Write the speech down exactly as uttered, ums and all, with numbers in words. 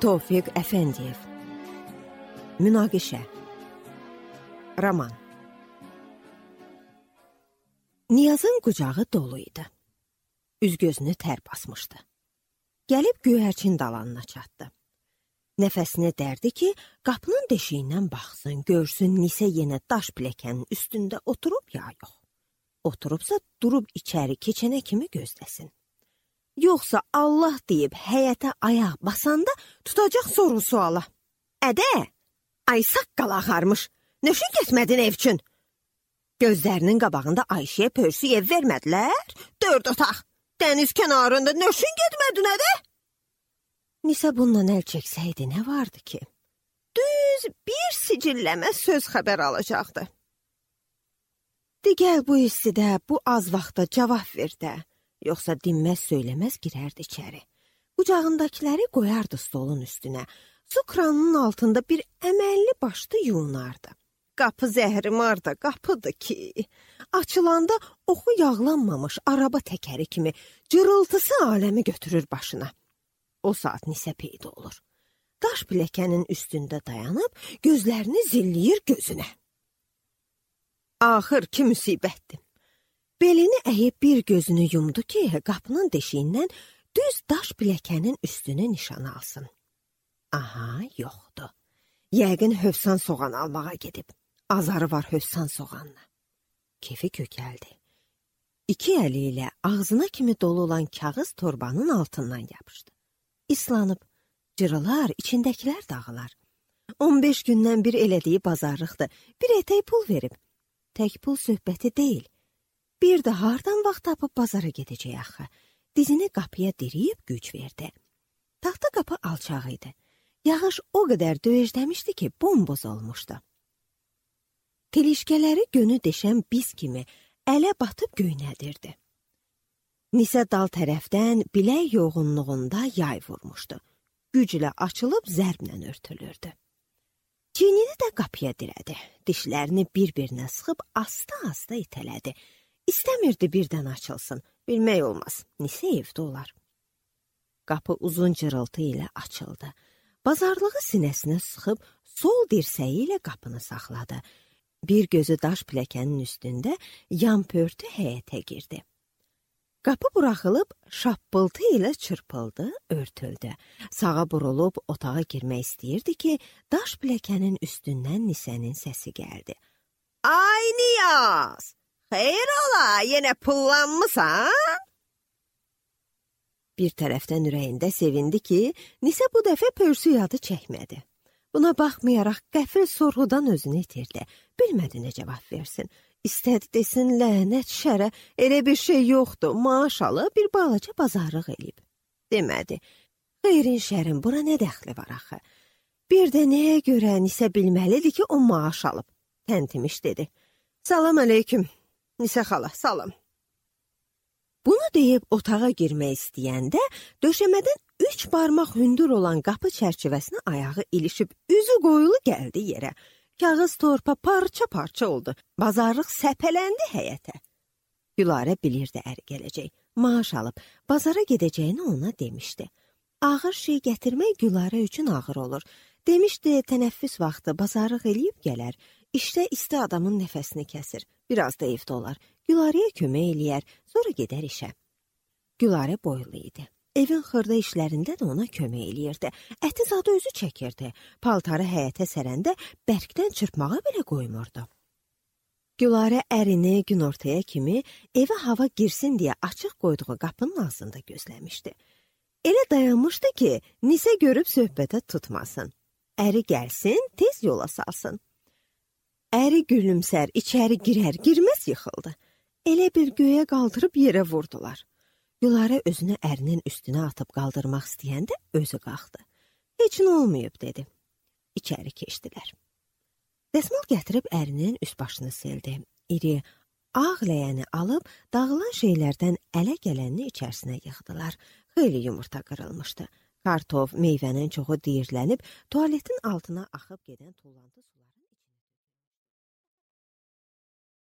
Tofiq Əfəndiyev. Münaqişə. Roman. Niyazın qucağı dolu idi. Üz-gözünü tər basmışdı. Gəlib göyərçin dalanına çatdı. Nəfəsini dərdi ki, qapının deşiyindən baxsın, görsün Nisə yenə daş piləkənin üstündə oturub ya yox. Oturubsa durub içəri keçənə kimi gözləsin. Yoxsa Allah deyib həyətə ayaq basanda tutacaq soru suala. Ədə, ay saqqal axarmış, nöşün getmədin ev üçün? Gözlərinin qabağında Ayşəyə pörsü ev vermədilər, dörd otaq, dəniz kənarında nöşün getmədin ədə? Nisə bununla əl çəksəydi nə vardı ki? Düz bir sicilləmə söz xəbər alacaqdı. Digəl bu istidə, bu az vaxtda cavab verdə. Yoxsa dinməz söyləməz girərdi içəri. Qucağındakiləri qoyardı stolun üstünə. Su kranının altında bir əməlli başlı yuyunardı. Qapı zəhrimarda qapıdır ki, açılanda oxu yağlanmamış araba təkəri kimi cırıltısı aləmi götürür başına. O saat Nisə peyda olur. Daş piləkənin üstündə dayanıb, gözlərini zilləyir gözünə. Axır ki, müsibətdir. Belini əyib bir gözünü yumdu ki, qapının deşiyindən düz daş piləkənin üstünü nişana alsın. Aha, yoxdur. Yəqin hövsan soğan almağa gedib. Azarı var hövsan soğanla. Kefi kökəldi. İki əli ilə ağzına kimi dolu olan kağız torbanın altından yapışdı. İslanıb, cırılar, içindəkilər dağılar. on beş gündən bir elədiyi bazarlıqdır. Bir ətək pul verib. Tək pul söhbəti deyil. Bir də hardan vaxt tapıb bazara gedəcək axı. Dizini qapıya diriyib güc verdi. Taxta qapı alçaq idi. Yağış o qədər döyəcləmişdi ki, bomboz olmuşdu. Telişkələri gönü deşən biz kimi ələ batıb göynədirdi. Nisə dal tərəfdən bilək yoğunluğunda yay vurmuşdu. Güclə açılıb zərblə örtülürdü. Çiynini də qapıya dirədi. Dişlərini bir-birinə sıxıb asta-asta itələdi. İstəmirdi birdən açılsın. Bilmək olmaz. Nisə evdə olar. Qapı uzun cırıltı ilə açıldı. Bazarlığı sinəsinə sıxıb sol dirsəyi ilə qapını saxladı. Bir gözü daş piləkənin üstündə yan pörtü həyətə girdi. Qapı buraxılıb şappıltı ilə çırpıldı, örtüldü. Sağa burulub otağa girmək istəyirdi ki, daş piləkənin üstündən Nisənin səsi gəldi. Ay Niyaz! Xeyr ola, yenə pullanmısan? Bir tərəfdən ürəyində sevindi ki, Nisə bu dəfə pörsü yadı çəkmədi. Buna baxmayaraq qəfil sorğudan özünü itirdi. Bilmədi nə cavab versin. İstədi desin, lənət şərə, elə bir şey yoxdur, maaş alıb bir balaca bazarlıq eləyib. Demədi, xeyrin şərin bura nə dəxli var axı? Bir də nəyə görə Nisə bilməlidir ki, o maaş alıb? Təntimiş dedi. Salam əleyküm. Nisə xala, salam. Bunu deyib otağa girmək istəyəndə, döşəmədən üç barmaq hündür olan qapı çərçivəsinə ayağı ilişib, üzü qoyulu gəldi yerə. Kağız torpa parça-parça oldu. Bazarlıq səpələndi həyətə. Gülarə bilirdi əri gələcək. Maaş alıb, bazara gedəcəyini ona demişdi. Ağır şey gətirmək Gülarə üçün ağır olur. Demişdi, tənəffüs vaxtı bazarlıq eləyib gələr. İşdə isti adamın nəfəsini kəsir. Biraz da evdə olar. Gülarəyə kömək eləyər, sonra gedər işə. Gülarə boylu idi. Evin xırda işlərində də ona kömək eləyirdi. Əti zadı özü çəkirdi. Paltarı həyətə sərəndə bərkdən çırpmağa belə qoymurdu. Gülarə ərini günortaya kimi evə hava girsin deyə açıq qoyduğu qapının ağzında gözləmişdi. Elə dayanmışdı ki, Nisə görüb söhbətə tutmasın. Əri gəlsin, tez yola salsın. Əri gülümsər, içəri girər, girməz yıxıldı. Elə bir göyə qaldırıb yerə vurdular. Gülarə özünü ərinin üstünə atıb qaldırmaq istəyəndə özü qalxdı. Heç nə olmayıb, dedi. İçəri keçdilər. Dəsmal gətirib ərinin üst başını sildi. İri, ağ ləyəni alıb dağılan şeylərdən ələ gələnini içərisinə yığdılar. Xeyli yumurta qırılmışdı. Kartof, meyvənin çoxu diyirlənib, tualetin altına axıb gedən tullantı sular.